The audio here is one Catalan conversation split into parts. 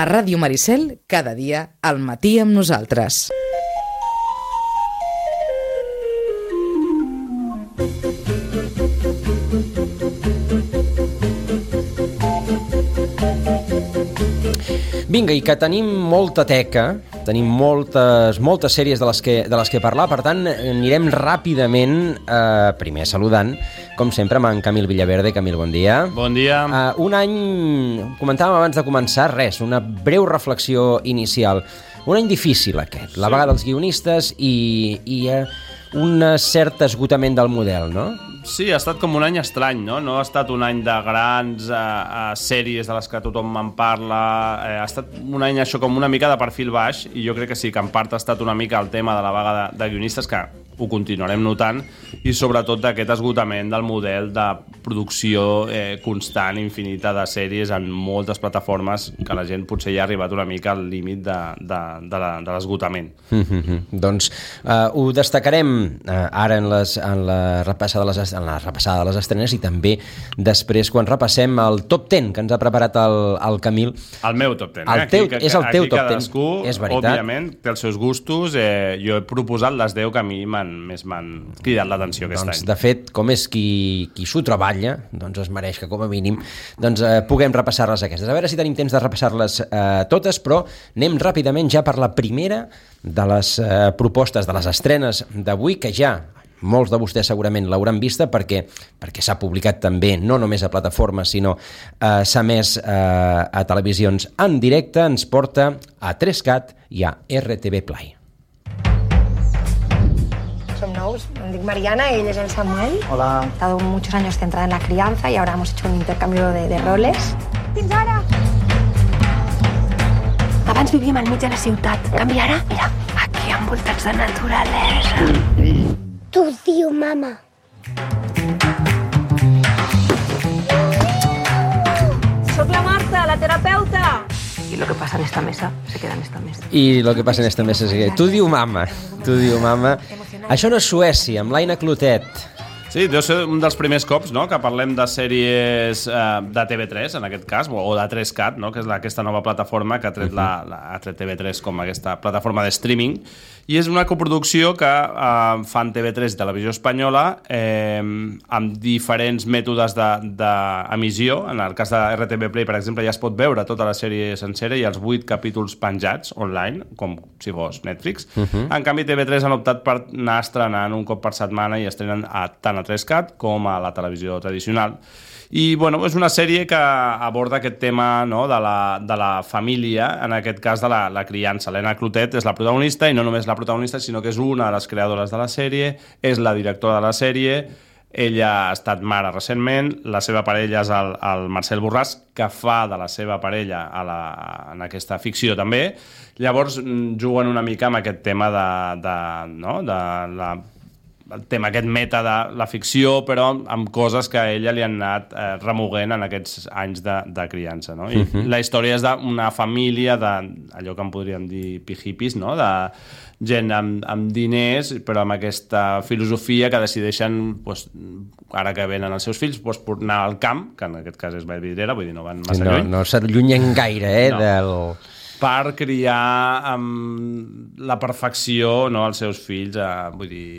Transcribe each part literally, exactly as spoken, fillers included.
A Ràdio Maricel, cada dia, al matí amb nosaltres. Vinga, i que tenim molta teca, tenim moltes, moltes sèries de les, que, de les que parlar, per tant, anirem ràpidament, eh, primer saludant, com sempre, amb en Camil Villaverde. Camil, bon dia. Bon dia. Eh, un any, comentàvem abans de començar, res, una breu reflexió inicial. Un any difícil, aquest, la vaga dels guionistes i, i eh, un cert esgotament del model, no? Sí, ha estat com un any estrany, no? No ha estat un any de grans eh, eh, sèries de les que tothom en parla. Eh, ha estat un any això com una mica de perfil baix, i jo crec que sí, que en part ha estat una mica el tema de la vaga de, de guionistes, que ho continuarem notant, i sobretot d'aquest esgotament del model de producció eh, constant, infinita de sèries en moltes plataformes, que la gent potser ja ha arribat una mica al límit de, de, de, la, de l'esgotament. Mm-hmm. Doncs eh, ho destacarem eh, ara en, les, en, la repassada de les, en la repassada de les estrenes, i també després quan repassem el top deu que ens ha preparat el, el Camil. El meu top deu. El eh? teu, aquí, és el teu aquí top deu, cadascú, és veritat. Òbviament, té els seus gustos. Eh, jo he proposat les deu que a mi m'han, més m'han cridat l'atenció aquest doncs, any. De fet, com és qui, qui s'ho treballa, doncs es mereix que com a mínim doncs, eh, puguem repassar-les aquestes. A veure si tenim temps de repassar-les eh, totes, però anem ràpidament ja per la primera de les eh, propostes, de les estrenes d'avui, que ja molts de vostès segurament l'hauran vista perquè, perquè s'ha publicat també, no només a plataformes, sinó eh, s'ha emès eh, a televisions en directe. Ens porta a tres cat i a R T V Play. Som nous, em dic Mariana, ell és el Samuel. Hola. He estado muchos años centrada en la crianza y ahora hemos hecho un intercambio de, de roles. Fins ara! Abans vivíem al mig de la ciutat. Canvi ara, mira, aquí envoltats de naturalesa. Tu diu, mama. Soc la Marta, la terapeuta. Y lo que pasa en esta mesa se queda en esta mesa. I lo que passa en esta mesa és que tu diu mama, tu diu mama. Això no és Suècia, amb l'Aina Clotet. Sí, deu ser un dels primers cops, no?, que parlem de sèries eh, de T V tres, en aquest cas, o de tres cat, no?, que és la, aquesta nova plataforma que ha tret, la, la, ha tret T V tres com aquesta plataforma de streaming, i és una coproducció que eh, fan T V tres i Televisió Espanyola eh, amb diferents mètodes d'emissió. De, de en el cas de R T V Play, per exemple, ja es pot veure tota la sèrie sencera i els vuit capítols penjats online, com si fos Netflix. Uh-huh. En canvi, T V tres han optat per anar estrenant un cop per setmana i estrenen a tant a tres cat com a la televisió tradicional. I bueno, és una sèrie que aborda aquest tema, no?, de, la, de la família, en aquest cas de la, la criança. L'Aina Clotet és la protagonista, i no només la protagonista, sinó que és una de les creadores de la sèrie, és la directora de la sèrie. Ella ha estat mare recentment, la seva parella és el, el Marcel Borràs, que fa de la seva parella a la, en aquesta ficció també. Llavors juguen una mica amb aquest tema de, de, no?, de la el tema, aquest meta de la ficció, però amb coses que a ella li han anat eh, remoguent en aquests anys de, de criança, no? I uh-huh. La història és d'una família de, allò que en podríem dir pijipis, no?, de gent amb, amb diners, però amb aquesta filosofia que decideixen, pues, ara que venen els seus fills, pues, anar al camp, que en aquest cas és Vallvidrera, vull dir, no van massa no, lluny. No s'allunyen gaire, eh, no. del... per criar amb la perfecció, no?, els seus fills, eh, vull dir,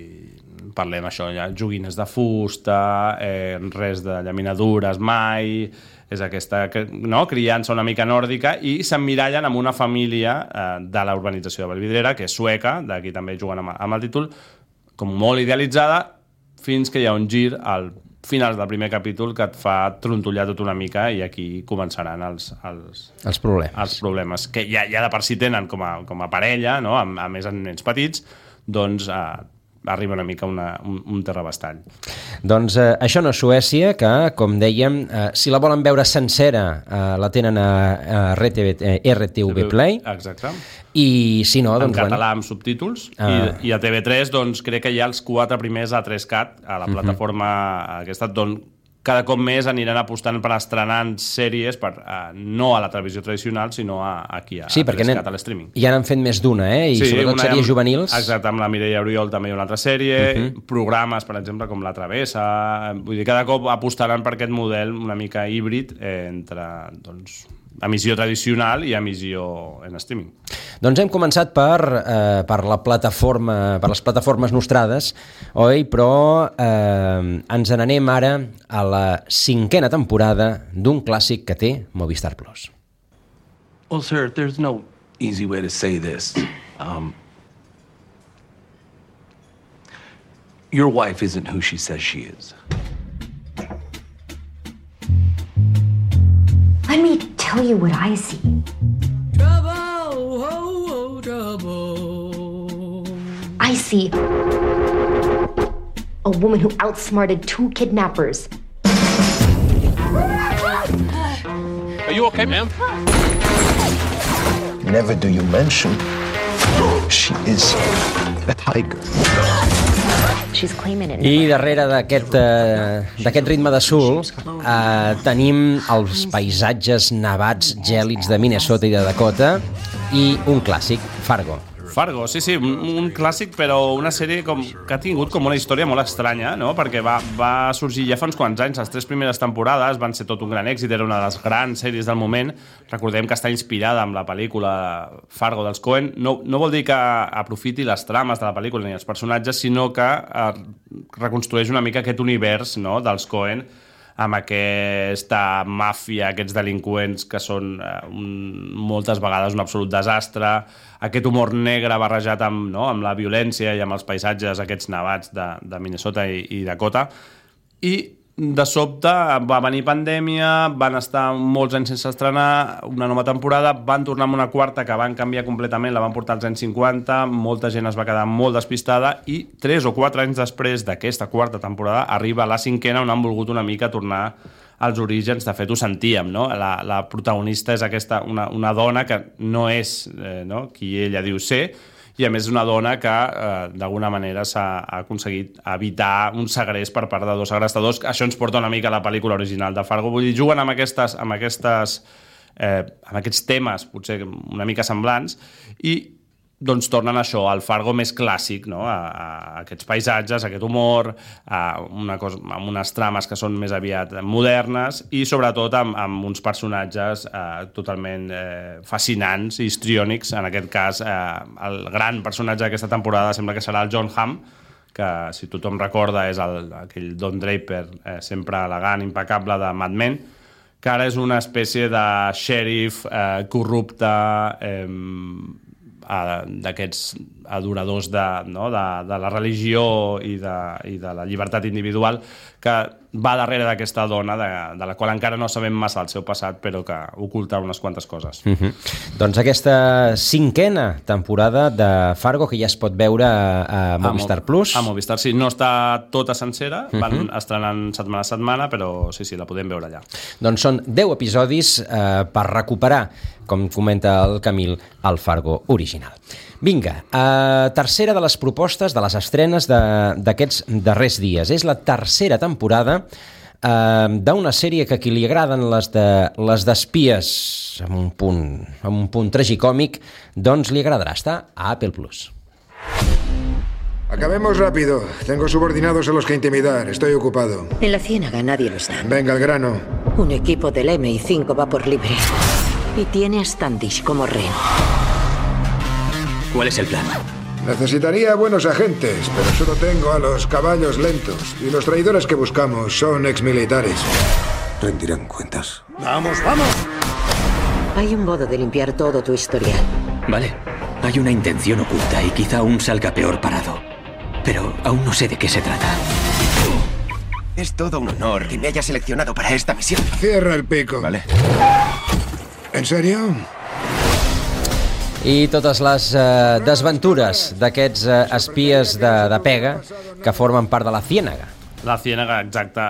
parlem això, ja, joguines de fusta, eh, res de llaminadures mai, és aquesta, no?, criança una mica nòrdica, i s'emmirallen amb una família eh, de la urbanització de Vallvidrera, que és sueca, d'aquí també juguen amb, amb el títol, com molt idealitzada, fins que hi ha un gir al final del primer capítol que et fa trontollar tot una mica, i aquí començaran els, els, els problemes, els problemes que ja, ja de per si tenen com a, com a parella, no?, a, a més en nens petits, doncs eh, arriba una mica una, un, un terrabastall. Doncs eh, això no és Suècia, que, com dèiem, eh, si la volen veure sencera, eh, la tenen a, a R T V, eh, R T V Play. Exacte. I si no, doncs... En català, amb subtítols. Ah. I, I a T V tres, doncs, crec que hi ha els quatre primers a tres cat, a la plataforma uh-huh. aquesta, d'on cada cop més aniran apostant per estrenar sèries per, uh, no a la televisió tradicional, sinó a, aquí a, sí, a tres cat, a l'streaming. Ja n'han fet més d'una, eh? I sí, sobretot sèries juvenils. Exacte, amb la Mireia Oriol també hi ha una altra sèrie, uh-huh. programes, per exemple, com La Travessa. Vull dir, cada cop apostaran per aquest model una mica híbrid eh, entre, doncs, emissió tradicional i emissió en streaming. Doncs hem començat per, eh, per la plataforma, per les plataformes nostrades, oi? Però eh, ens n'anem ara a la cinquena temporada d'un clàssic que té Movistar Plus. Well, sir, there's no easy way to say this. Um, your wife isn't who she says she is. Let me tell you what I see. Trouble, oh, oh, trouble. I see a woman who outsmarted two kidnappers. Are you okay, ma'am? Never do you mention she is a tiger. She's claiming it. I darrere d'aquest eh, d'aquest ritme de soul eh, tenim els paisatges nevats gèlids de Minnesota i de Dakota i un clàssic, Fargo. Fargo, sí, sí, un, un clàssic, però una sèrie com, que ha tingut com una història molt estranya, no? Perquè va, va sorgir ja fa uns quants anys, les tres primeres temporades van ser tot un gran èxit, era una de les grans sèries del moment. Recordem que està inspirada amb la pel·lícula Fargo dels Coen. No, no vol dir que aprofiti les trames de la pel·lícula ni els personatges, sinó que eh, reconstrueix una mica aquest univers, no?, dels Coen, amb aquesta màfia, aquests delinqüents que són eh, un, moltes vegades un absolut desastre, aquest humor negre barrejat amb, no, amb la violència i amb els paisatges aquests nevats de, de Minnesota i, i Dakota. I de sobte va venir pandèmia, van estar molts anys sense estrenar una nova temporada, van tornar amb una quarta que van canviar completament, la van portar als anys cinquanta, molta gent es va quedar molt despistada i tres o quatre anys després d'aquesta quarta temporada arriba la cinquena, on han volgut una mica tornar als orígens. De fet ho sentíem, no? La, la protagonista és aquesta, una, una dona que no és eh, no? qui ella diu ser, i a més és una dona que eh, d'alguna manera s'ha aconseguit evitar un segrest per part de dos segrestadors. Això ens porta una mica a la pel·lícula original de Fargo. Vull dir, juguen amb, aquestes, amb, aquestes, eh, amb aquests temes potser una mica semblants i doncs tornen això, al Fargo més clàssic, no? a, a aquests paisatges, a aquest humor, a una cosa, amb unes trames que són més aviat modernes i sobretot amb, amb uns personatges eh, totalment eh, fascinants i histriònics. En aquest cas, eh, el gran personatge d'aquesta temporada sembla que serà el John Hamm, que si tothom recorda és el, aquell Don Draper eh, sempre elegant, impecable de Mad Men, que ara és una espècie de xèrif eh, corrupte, eh, d'aquests adoradors de, no, de, de la religió i de, i de la llibertat individual, que va darrere d'aquesta dona de, de la qual encara no sabem massa el seu passat, però que oculta unes quantes coses. Mm-hmm. Doncs aquesta cinquena temporada de Fargo, que ja es pot veure a, a Movistar a Plus. A Movistar, sí. No està tota sencera, mm-hmm. van estrenant setmana a setmana, però sí, sí, la podem veure allà. Doncs són deu episodis eh, per recuperar, com comenta el Camil, el Fargo original. Vinga, eh, tercera de les propostes de les estrenes d'aquests de, darrers dies. És la tercera temporada eh, d'una sèrie que a qui li agraden les de les d'espies amb un punt, amb un punt tragicòmic, doncs li agradarà. Està a Apple Plus. Acabemos rápido. Tengo subordinados a los que intimidar. Estoy ocupado. En la Ciénaga nadie lo está. Venga, al grano. Un equipo del eme i cinco va por libre. Y tiene a Standish como rehén. ¿Cuál es el plan? Necesitaría buenos agentes, pero solo tengo a los caballos lentos. Y los traidores que buscamos son exmilitares. Rendirán cuentas. ¡Vamos, vamos! Hay un modo de limpiar todo tu historial. Vale. Hay una intención oculta y quizá aún salga peor parado. Pero aún no sé de qué se trata. Es todo un honor que me haya seleccionado para esta misión. Cierra el pico. Vale. ¿En serio? I totes les eh, desventures d'aquests eh, espies de, de pega que formen part de la Ciénaga. La Ciénaga, exacte.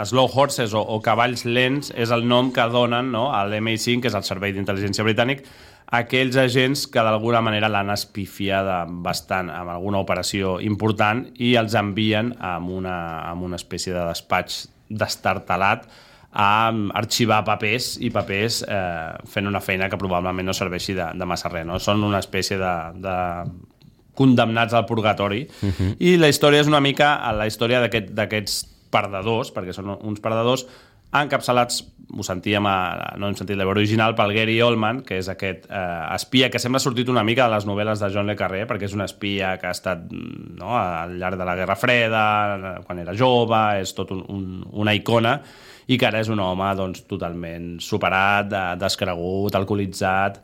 Slow Horses o, o cavalls lents és el nom que donen, no, a l'M I cinc, que és el Servei d'Intel·ligència Britànic, aquells agents que d'alguna manera l'han espifiada bastant amb alguna operació important i els envien amb una, amb una espècie de despatx destartalat a arxivar papers i papers eh, fent una feina que probablement no serveixi de, de massa res, no? Són una espècie de, de condemnats al purgatori. Uh-huh. I la història és una mica la història d'aquest, d'aquests perdedors, perquè són uns perdedors, encapçalats, ho sentíem, a, no hem sentit la veu original, pel Gary Oldman, que és aquest eh, espia que sembla sortit una mica de les novel·les de John le Carré, perquè és un espia que ha estat, no, al llarg de la Guerra Freda, quan era jove, és tot un, un, una icona, i que ara és un home doncs, totalment superat, descregut, alcoholitzat.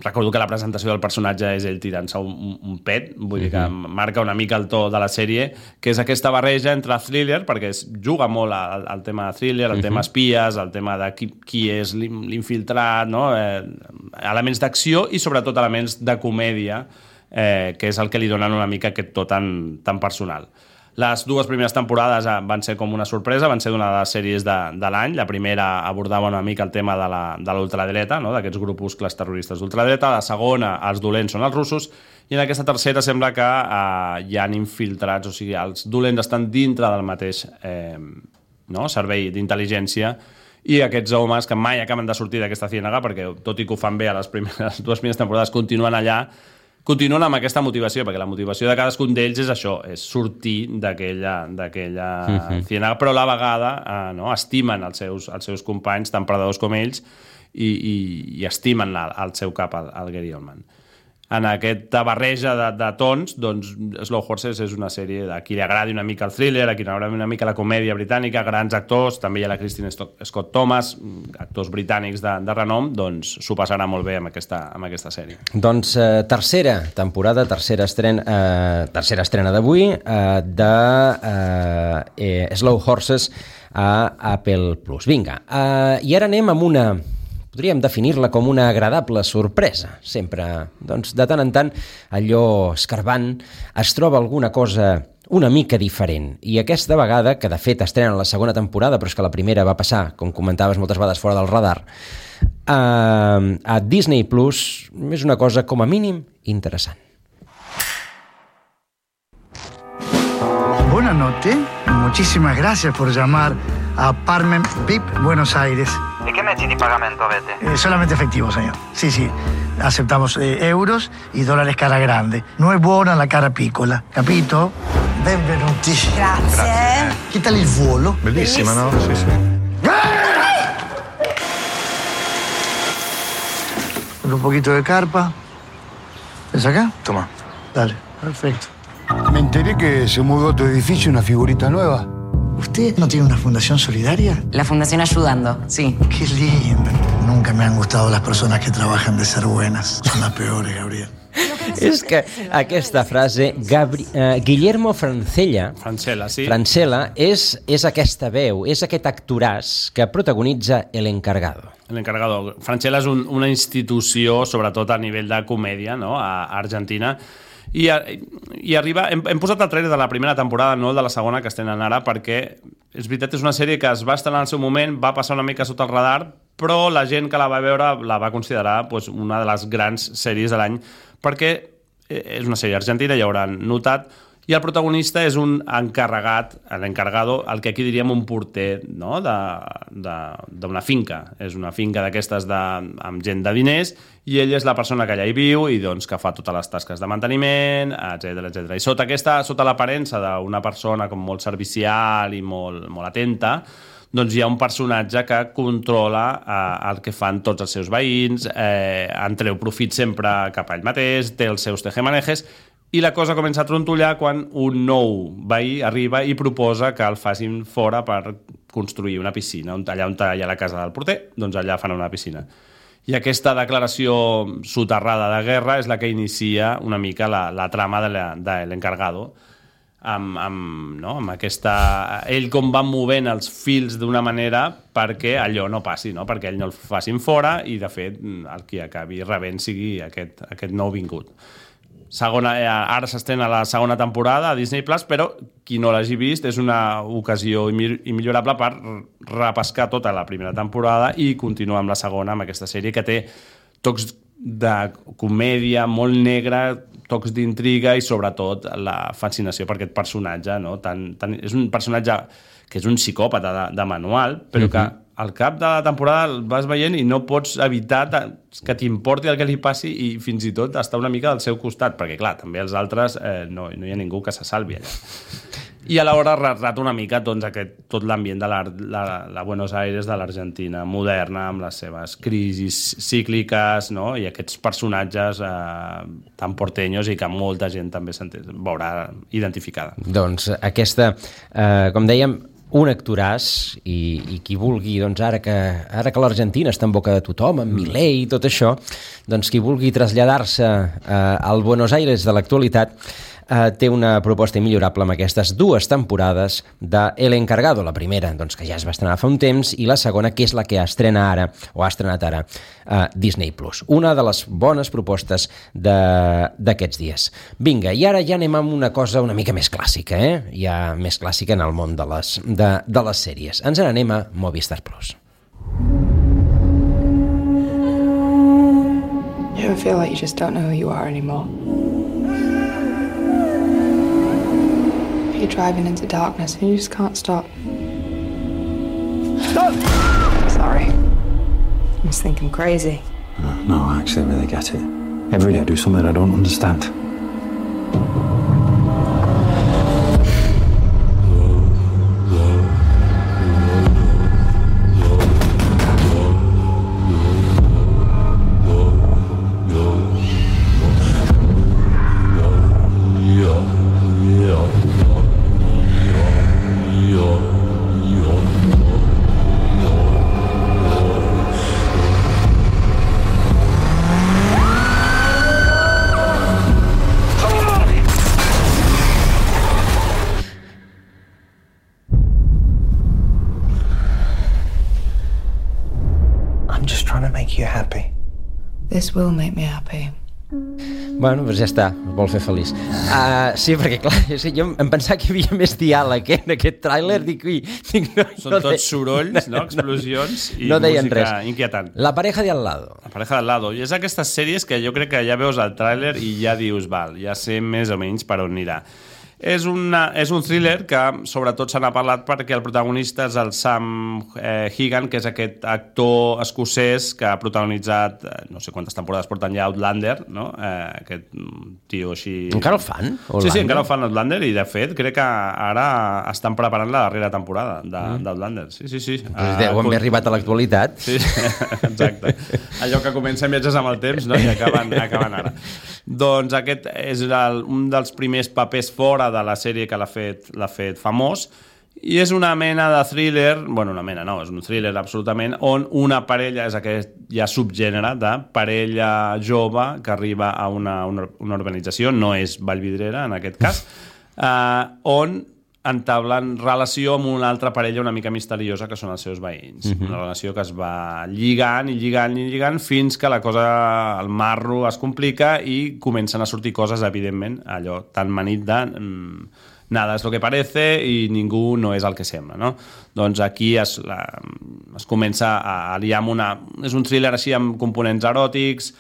Recordo que la presentació del personatge és ell tirant-se un, un, un pet, vull dir que marca una mica el to de la sèrie, que és aquesta barreja entre thriller, perquè es juga molt al, al tema thriller, al tema espies, al tema de qui, qui és l'infiltrat, no? eh, elements d'acció i sobretot elements de comèdia, eh, que és el que li donen una mica aquest to tan, tan personal. Les dues primeres temporades van ser com una sorpresa, van ser d'una de les sèries de, de l'any. La primera abordava una mica el tema de la, de l'ultradreta, no? D'aquests grupuscles terroristes d'ultradreta. La segona, els dolents són els russos. I en aquesta tercera sembla que eh, hi han infiltrats, o sigui, els dolents estan dintre del mateix eh, no? servei d'intel·ligència, i aquests homes que mai acaben de sortir d'aquesta ciénaga, perquè tot i que ho fan bé a les, primeres, les dues primeres temporades, continuen allà, continuen amb aquesta motivació, perquè la motivació de cadascun d'ells és això, és sortir d'aquella d'aquella uh-huh. ciénaga, però a la vegada eh, no, estimen els seus, els seus companys, tan perdedors com ells, i, i, i estimen la, al seu cap, el, el Gary Oldman. En aquesta barreja de, de tons, doncs Slow Horses és una sèrie a qui li agradi una mica el thriller, a qui li agradi una mica la comèdia britànica, grans actors, també hi ha la Christine Scott Thomas, actors britànics de, de renom, doncs s'ho passarà molt bé amb aquesta, amb aquesta sèrie. Doncs eh, tercera temporada, tercera estrena, eh, tercera estrena d'avui eh, de eh, eh, Slow Horses a Apple plus. Vinga, eh, i ara anem amb una... podríem definir-la com una agradable sorpresa. Sempre, doncs, de tant en tant, allò escarbant es troba alguna cosa una mica diferent. I aquesta vegada, que de fet estrena la segona temporada, però és que la primera va passar, com comentaves moltes vegades, fora del radar, a, a Disney plus, és una cosa com a mínim interessant. Buenas noches, muchísimas gracias por llamar a Apartment V I P Buenos Aires. ¿Y qué mezzi di pagamento avete? Eh, solamente efectivo, señor. Sí, sí. Aceptamos eh, euros y dólares cara grande. No è buona la cara piccola, capito? Benvenuti. Grazie. Grazie. Che tal il volo? Bellissima, no? Sì, sì. Un poquito de carpa. ¿Es acá? Toma. Dale, perfecto. Me enteré que se mudó a tu edificio una figurita nueva. ¿Usted no tiene una fundación solidaria? La Fundación Ayudando, sí. Qué lindo. Nunca me han gustado las personas que trabajan de ser buenas. Son las peores, Gabriel. És que aquesta frase, Gabri uh, Guillermo Francella, Francella, sí. Francella és, és aquesta veu, és aquest actoràs que protagonitza El Encargado. El Encargado. Francella és un, una institució, sobretot a nivell de comèdia, no? a Argentina, I, i arriba, hem, hem posat el trailer de la primera temporada, no el de la segona que estenen ara, perquè és veritat, és una sèrie que es va estrenar en el seu moment, va passar una mica sota el radar, però la gent que la va veure la va considerar pues, una de les grans sèries de l'any, perquè és una sèrie argentina, ja hauran notat, i el protagonista és un encarregat, l'encargado, el que aquí diríem un porter, no? d'una finca. És una finca d'aquestes de, amb gent de diners, i ell és la persona que allà hi viu i doncs, que fa totes les tasques de manteniment, etcètera etcètera. I sota aquesta, sota l'aparença d'una persona com molt servicial i molt, molt atenta, doncs hi ha un personatge que controla eh, el que fan tots els seus veïns, eh, en treu profit sempre cap a ell mateix, té els seus tejemanejes, i la cosa comença a trontollar quan un nou veí arriba i proposa que el facin fora per construir una piscina. Allà on hi ha la casa del porter, doncs allà fan una piscina. I aquesta declaració soterrada de guerra és la que inicia una mica la, la trama de l'encargado. Amb, amb, no? amb aquesta... Ell com va movent els fils d'una manera perquè allò no passi, no? Perquè ell no el facin fora i, de fet, el qui acabi rebent sigui aquest, aquest nou vingut. Segona, ara s'estrena la segona temporada a Disney plus, però qui no l'hagi vist és una ocasió immillorable per repescar tota la primera temporada i continuar amb la segona, amb aquesta sèrie que té tocs de comèdia molt negra, tocs d'intriga i sobretot la fascinació per aquest personatge, no? tan, tan, és un personatge que és un psicòpata de, de manual, però uh-huh. que al cap de la temporada el vas veient i no pots evitar que t'importi el que li passi i fins i tot estar una mica al seu costat, perquè clar, també els altres eh, no, no hi ha ningú que se salvi allà. i alhora retrata una mica doncs, aquest, tot l'ambient de la, la, la Buenos Aires de l'Argentina moderna, amb les seves crisis cícliques, no? I aquests personatges eh, tan porteños i que molta gent també se'n veurà identificada. Doncs aquesta, eh, com dèiem, un actoràs i, i qui vulgui, doncs ara que, ara que l'Argentina està en boca de tothom, amb Milei i tot això, doncs qui vulgui traslladar-se eh, al Buenos Aires de l'actualitat eh, té una proposta immillorable amb aquestes dues temporades de El Encargado, la primera, doncs que ja es va estrenar fa un temps, i la segona, que és la que estrena ara, o ha estrenat ara, a Disney plus. Una de les bones propostes d'aquests dies. Vinga, i ara ja anem amb una cosa una mica més clàssica, eh? Ja més clàssica en el món de les, de, de les sèries. Ens n'anem a Movistar Plus. You ever feel like you just don't know who you are anymore? You're driving into darkness and you just can't stop. Stop! Sorry. I just think I'm crazy. No, no, actually, I really get it. Every day I do something I don't understand. This will make me happy. Bueno, doncs ja està, es vol fer feliç. Uh, sí, perquè clar, jo em pensava que hi havia més diàleg eh, en aquest tràiler. Dic, ui, dic, no, Són no tots de... sorolls, no? Explosions i no deien música res. inquietant. La pareja de al lado. La pareja de al lado. I és aquestes sèries que jo crec que ja veus el tràiler i ja dius, val, ja sé més o menys per on anirà. És, una, és un thriller que sobretot se n'ha parlat perquè el protagonista és el Sam eh, Hegan, que és aquest actor escocès que ha protagonitzat, eh, no sé quantes temporades porten ja Outlander, no? Eh, aquest tio així... Encara el fan? Outlander? Sí, sí, encara el fan Outlander i de fet crec que ara estan preparant la darrera temporada d'Outlander. Mm. Sí, sí, sí. Pues deu haver arribat a l'actualitat. Sí, exacte. Allò que comencen viatges amb el temps, no? I acaben, acaben ara. Doncs aquest és el, un dels primers papers fora de la sèrie que l'ha fet, l'ha fet famós, i és una mena de thriller, bueno, una mena no, és un thriller absolutament, on una parella, és aquest ja subgènere de parella jove que arriba a una, una, una organització, no és Vallvidrera en aquest cas, eh, on entablen relació amb una altra parella una mica misteriosa que són els seus veïns. Uh-huh. Una relació que es va lligant i lligant i lligant fins que la cosa, el marro es complica i comencen a sortir coses, evidentment, allò tan manit de mm, nada és lo que parece i ningú no és el que sembla, no? Doncs aquí es, la, es comença a liar amb una... És un thriller així amb components eròtics,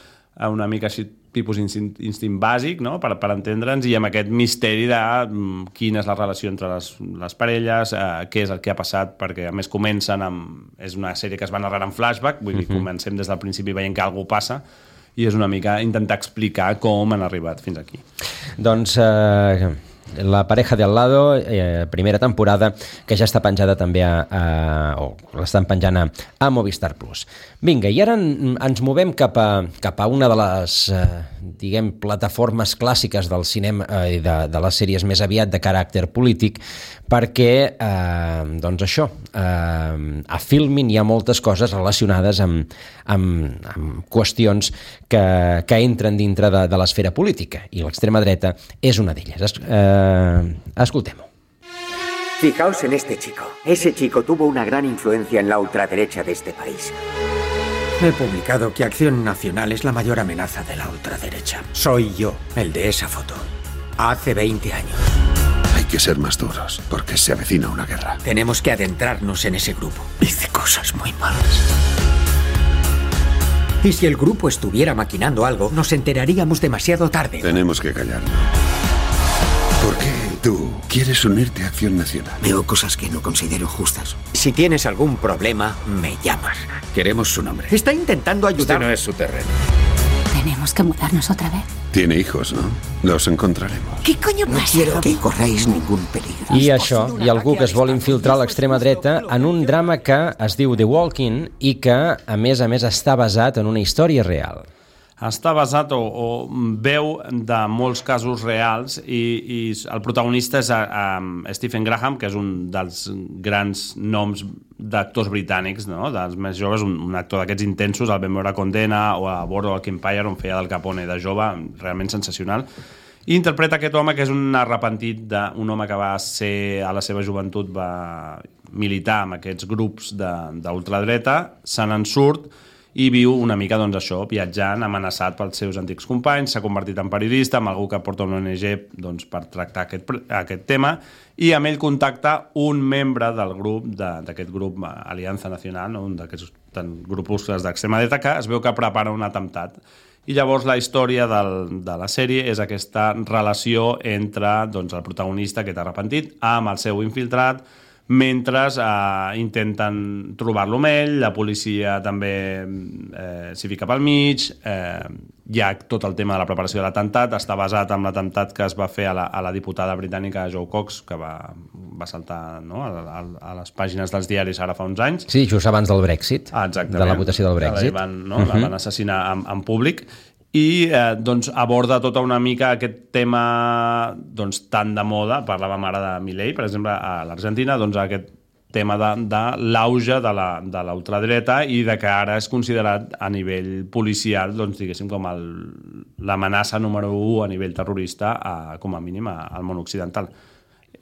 una mica així tipus instint, instint bàsic, no? per, per entendre'ns, i amb aquest misteri de mm, quina és la relació entre les, les parelles, eh, què és el que ha passat, perquè a més comencen amb... És una sèrie que es va narrar en flashback, vull dir, uh-huh. comencem des del principi veient que alguna passa, i és una mica intentar explicar com han arribat fins aquí. Doncs... Eh... La pareja de al lado, eh, primera temporada, que ja està penjada també a, a, o l'estan penjant a, a Movistar Plus. Vinga, i ara en, ens movem cap a, cap a una de les eh, diguem, plataformes clàssiques del cinema i eh, de, de les sèries més aviat de caràcter polític, perquè eh, doncs això, eh, a Filmin hi ha moltes coses relacionades amb, amb, amb qüestions que, que entren dintre de, de l'esfera política, i l'extrema dreta és una d'elles. Eh, escoltem-ho. Fijaos en este chico. Ese chico tuvo una gran influencia en la ultraderecha de este país. He publicado que Acción Nacional es la mayor amenaza de la ultraderecha. Soy yo, el de esa foto. Hace veinte años. Hay que ser más duros, porque se avecina una guerra. Tenemos que adentrarnos en ese grupo. Dice cosas muy malas. Y si el grupo estuviera maquinando algo, nos enteraríamos demasiado tarde. Tenemos que callarnos. ¿Por qué tú quieres unirte a Acción Nacional? Veo cosas que no considero justas. Si tienes algún problema, me llamas. Queremos su nombre. Está intentando ayudar. Este no es su terreno. Tenemos tenemos que mudarnos otra vez. Tiene hijos, ¿no? Los encontraremos. ¿Qué coño pasa? No quiero que corráis ningún peligro. I això, hi ha algú que es vol infiltrar a l'extrema dreta en un drama que es diu The Walking i que, a més a més, està basat en una història real. Està basat o, o veu de molts casos reals i, i el protagonista és a, a Stephen Graham, que és un dels grans noms d'actors britànics, no? Dels més joves, un, un actor d'aquests intensos, el vam veure a Condena o a Boardwalk Empire, on feia del Capone de jove, realment sensacional. I interpreta aquest home que és un arrepentit d'un home que va ser, a la seva joventut, va militar amb aquests grups d'ultradreta, se n'en surt i viu una mica, doncs, això, viatjant, amenaçat pels seus antics companys, s'ha convertit en periodista, amb algú que porta una O N G, doncs, per tractar aquest, aquest tema, i amb ell contacta un membre del grup, d'aquest grup Alianza Nacional, no? Un d'aquests grupuscles d'extrema dreta, que es veu que prepara un atemptat. I llavors la història del, de la sèrie és aquesta relació entre, doncs, el protagonista, aquest arrepentit, amb el seu infiltrat, mentre eh, intenten trobar-lo amb ell, la policia també eh, s'hi fica pel mig, eh, hi ha tot el tema de la preparació de l'atemptat, està basat en l'atemptat que es va fer a la, a la diputada britànica Jo Cox, que va, va saltar, no?, a, a, a les pàgines dels diaris ara fa uns anys. Sí, just abans del Brexit, ah, de la votació del Brexit. La van, no? uh -huh. la van assassinar en, en públic. I eh, doncs aborda tota una mica aquest tema, doncs, tan de moda. Parlàvem ara de Milei, per exemple, a l'Argentina, doncs aquest tema de, de l'auge de la, de la ultradreta i de que ara és considerat a nivell policial, doncs, diguéssim, com l'amenaça número u a nivell terrorista, a, com a mínim, al món occidental.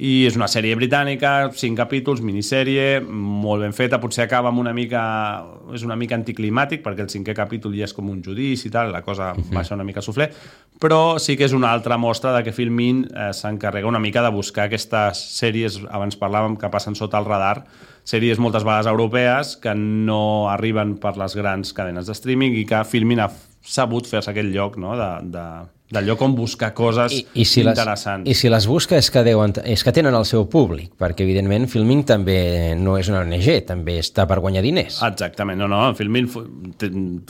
I és una sèrie britànica, cinc capítols, minissèrie, molt ben feta, potser acaba amb una mica... és una mica anticlimàtic, perquè el cinquè capítol ja és com un judici i tal, la cosa uh-huh. baixa una mica a suflé, però sí que és una altra mostra de que Filmin eh, s'encarrega una mica de buscar aquestes sèries, abans parlàvem, que passen sota el radar, sèries moltes vegades europees que no arriben per les grans cadenes de streaming i que Filmin ha sabut fer-se aquest lloc, no?, de... de del lloc on buscar coses I, i si interessants. Les, I si les busca és que, deuen, és que tenen el seu públic, perquè evidentment Filmin també no és una O N G, també està per guanyar diners. Exactament, no, no, Filmin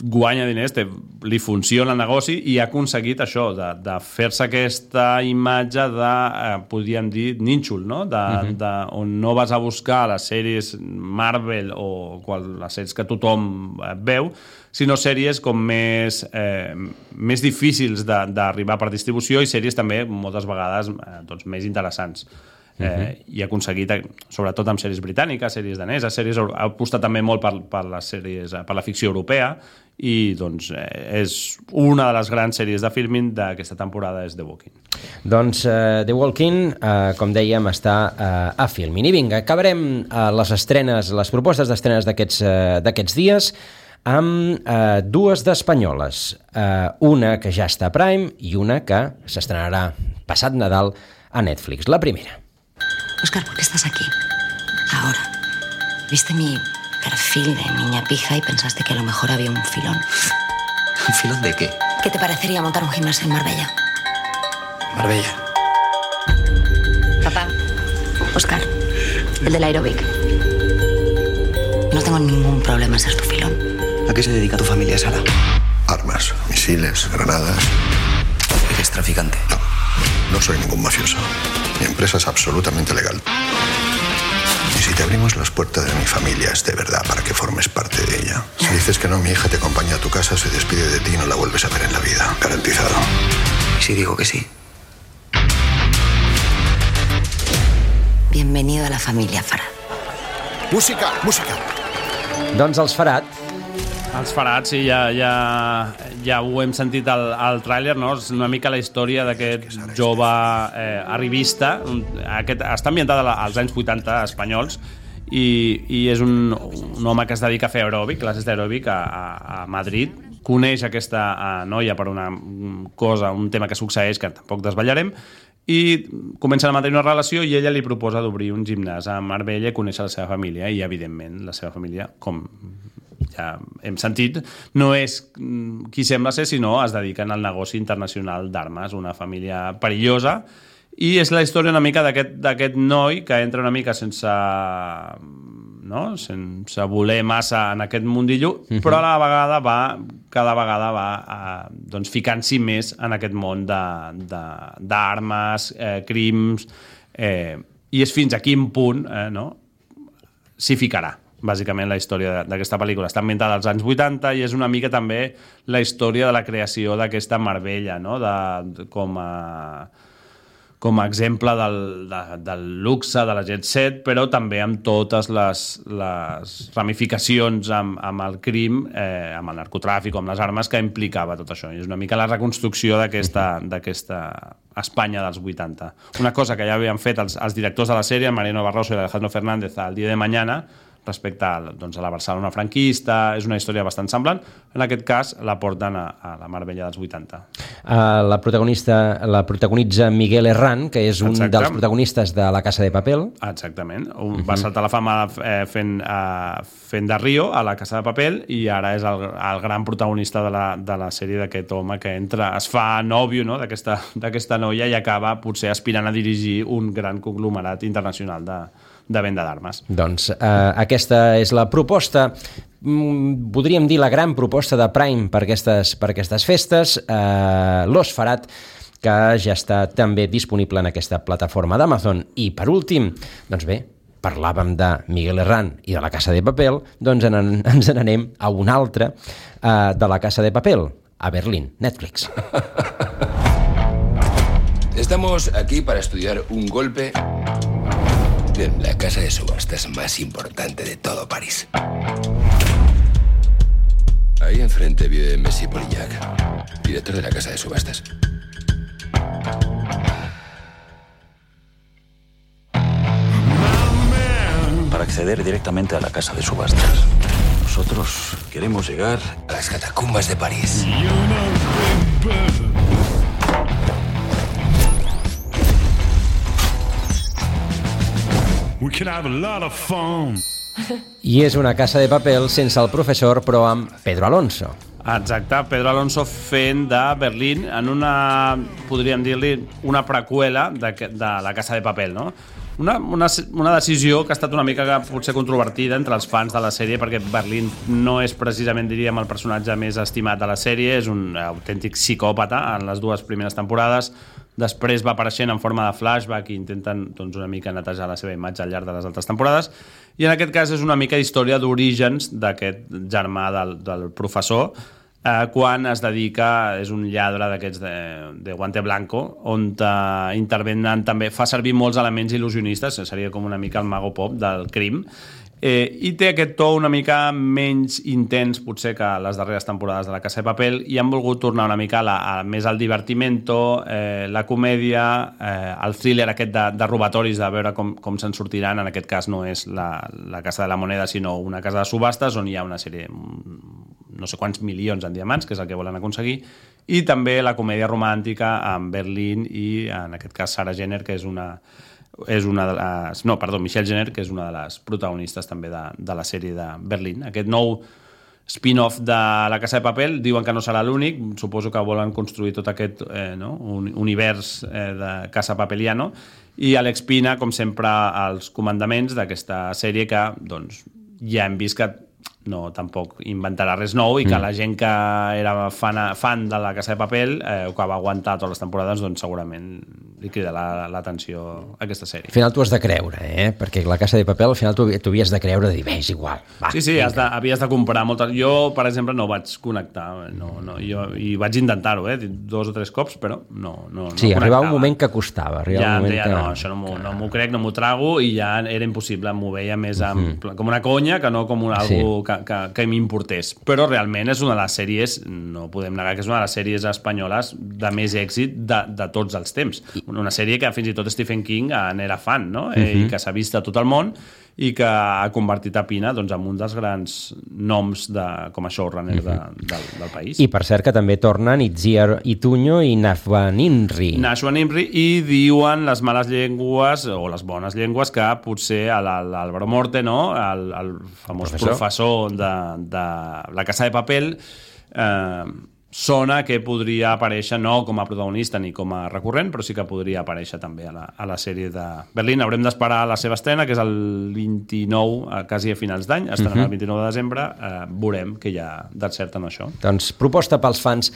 guanya diners, té, li funciona el negoci i ha aconseguit això, de, de fer-se aquesta imatge de, eh, podríem dir, nínxol, no? De, uh-huh. de, on no vas a buscar les sèries Marvel o qual, les sèries que tothom veu, sinó sèries com més, eh, més difícils d'arribar per distribució i sèries també moltes vegades eh, doncs, més interessants. Eh, uh-huh. I ha aconseguit, sobretot amb sèries britàniques, sèries daneses, sèries, ha apostat també molt per, per, les sèries, per la ficció europea i doncs, eh, és una de les grans sèries de Filmin d'aquesta temporada és The Walking. Doncs uh, The Walking, uh, com dèiem, està uh, a Filmin. I vinga, acabarem uh, les estrenes, les propostes d'estrenes d'aquests uh, d'aquests dies amb eh, dues d'espanyoles, eh, una que ja està a Prime i una que s'estrenarà passat Nadal a Netflix. La primera. Óscar, ¿por qué estás aquí? Ahora. ¿Viste mi perfil de niña pija y pensaste que a lo mejor había un filón? ¿Un filón de qué? ¿Qué te parecería montar un gimnasio en Marbella? Marbella. Papá. Óscar, el del aeróbic. No tengo ningún problema en ser tu filón. ¿A qué se dedica tu familia, Sara? Armas, misiles, granadas. ¿Eres traficante? No, no soy ningún mafioso. Mi empresa es absolutamente legal. Y si te abrimos las puertas de mi familia es de verdad para que formes parte de ella. Si dices que no, mi hija te acompaña a tu casa, se despide de ti y no la vuelves a ver en la vida. Garantizado. ¿Y si digo que sí? Bienvenido a la familia Farad. Música, música. Doncs els Farad. Els Farad, sí, ja, ja, ja ho hem sentit al, al tràiler, no? És una mica la història d'aquest jove eh, arribista. Aquest, està ambientat als anys vuitanta espanyols i, i és un, un home que es dedica a fer aeròbic, classes d'aeròbic a, a, a Madrid. Coneix aquesta a, noia per una cosa, un tema que succeeix que tampoc desvetllarem, i comencen a mantenir una relació i ella li proposa d'obrir un gimnàs a Marbella i conèixer la seva família i, evidentment, la seva família, com ja hem sentit, no és qui sembla ser, sinó es dediquen al negoci internacional d'armes, una família perillosa, i és la història una mica d'aquest noi que entra una mica sense no? sense voler massa en aquest mundillo, uh-huh. però a la vegada va, cada vegada va eh, doncs ficant-s'hi més en aquest món d'armes, eh, crims, eh, i és fins a quin punt eh, no? s'hi ficarà. Bàsicament la història d'aquesta pel·lícula està ambientada als anys vuitanta i és una mica també la història de la creació d'aquesta Marbella, no? de, com a com a exemple del, de, del luxe, de la jet set, però també amb totes les, les ramificacions amb, amb el crim, eh, amb el narcotràfic, amb les armes que implicava tot això. I és una mica la reconstrucció d'aquesta d'aquesta Espanya dels vuitanta. Una cosa que ja havien fet els, els directors de la sèrie, Mariano Barroso i Alejandro Fernández, al Día de Mañana, respecte a, doncs, a la Barcelona franquista, és una història bastant semblant. En aquest cas la porten a, a la Marbella dels vuitanta. Uh, la protagonista la protagonitza Miguel Herrán, que és un Exacte. dels protagonistes de La Casa de Papel. Exactament. Un, uh-huh. Va saltar la fama eh, fent, eh, fent de Rio a La Casa de Papel i ara és el, el gran protagonista de la, de la sèrie d'aquest home que entra, es fa nòvio, no? d'aquesta noia i acaba potser aspirant a dirigir un gran conglomerat internacional de de venda d'armes. Doncs eh, aquesta és la proposta, podríem dir la gran proposta de Prime per aquestes, per aquestes festes, eh, L'Osferat, que ja està també disponible en aquesta plataforma d'Amazon. I per últim, doncs bé, parlàvem de Miguel Herrán i de La Casa de Papel, doncs en, ens n'anem a un altre eh, de La Casa de Papel, a Berlín, Netflix. Estamos aquí para estudiar un golpe en la casa de subastas más importante de todo París. Ahí enfrente vive Messi Polillac, director de la casa de subastas. Para acceder directamente a la casa de subastas, nosotros queremos llegar a las catacumbas de París. We can have a lot of fun. I és una Casa de Papel sense el professor, però amb Pedro Alonso. Exacte, Pedro Alonso fent de Berlín en una, podríem dir-li, una preqüela de, de La Casa de Papel, no? Una, una, una decisió que ha estat una mica potser controvertida entre els fans de la sèrie, perquè Berlín no és precisament, diríem, el personatge més estimat de la sèrie, és un autèntic psicòpata en les dues primeres temporades. Després va apareixent en forma de flashback i intenten doncs, una mica netejar la seva imatge al llarg de les altres temporades. I en aquest cas és una mica història d'orígens d'aquest germà del, del professor, eh, quan es dedica, és un lladre d'aquests de, de guante blanco, on eh, intervenen també, fa servir molts elements il·lusionistes, seria com una mica el mago pop del crim, Eh, i té aquest to una mica menys intens potser que les darreres temporades de La Casa de Papel i han volgut tornar una mica a la, a, més al divertimento, eh, la comèdia, eh, el thriller aquest de, de robatoris, de veure com, com se'n sortiran. En aquest cas no és la, la Casa de la Moneda, sinó una casa de subhastes on hi ha una sèrie, no sé quants milions en diamants, que és el que volen aconseguir, i també la comèdia romàntica amb Berlín i en aquest cas Sarah Jenner, que és una és una de les... No, perdó, Michelle Jenner, que és una de les protagonistes també de, de la sèrie de Berlín. Aquest nou spin-off de La Casa de Papel, diuen que no serà l'únic, suposo que volen construir tot aquest eh, no? un univers eh, de Casa Papeliano, i Alex Pina, com sempre, als comandaments d'aquesta sèrie que doncs, ja hem vist que no tampoc inventarà res nou i que mm. la gent que era fan, fan de La Casa de Papel eh, o que va aguantar totes les temporades, doncs segurament li crida l'atenció a aquesta sèrie. Al final t'ho has de creure, eh? Perquè La Casa de Papel al final t'ho havies de creure de dir, bé, és igual. Va, sí, sí, has de, havies de comprar moltes... Jo, per exemple, no vaig connectar, no, no, jo, i vaig intentar-ho, eh? dos o tres cops, però no, no, no sí, connectava. Arribava un moment que costava. Ja, un moment ja que... no, això no m'ho no m'ho crec, no m'ho trago, i ja era impossible, m'ho veia més amb, mm. com una conya que no com un, sí. algú que, que, que m'importés. Però realment és una de les sèries, no podem negar que és una de les sèries espanyoles de més èxit de, de tots els temps. Una sèrie que fins i tot Stephen King n'era fan, no? Uh-huh. eh, i que s'ha vist a tot el món i que ha convertit a Pina doncs, en un dels grans noms de, com a showrunner uh-huh. de, del, del país. I per cert que també tornen Itziar Ituño i Nashwa Nimri. Nashwa Nimri, i diuen les males llengües o les bones llengües que potser l'Álvaro Morte, no? el, el famós professor, professor de, de La Casa de Papel, eh, sona que podria aparèixer no com a protagonista ni com a recurrent, però sí que podria aparèixer també a la, a la sèrie de Berlín. Haurem d'esperar la seva estrena, que és el vint-i-nou, quasi a finals d'any, estarà uh-huh. el vint-i-nou de desembre, eh, veurem que hi ha de cert en això. Doncs proposta pels fans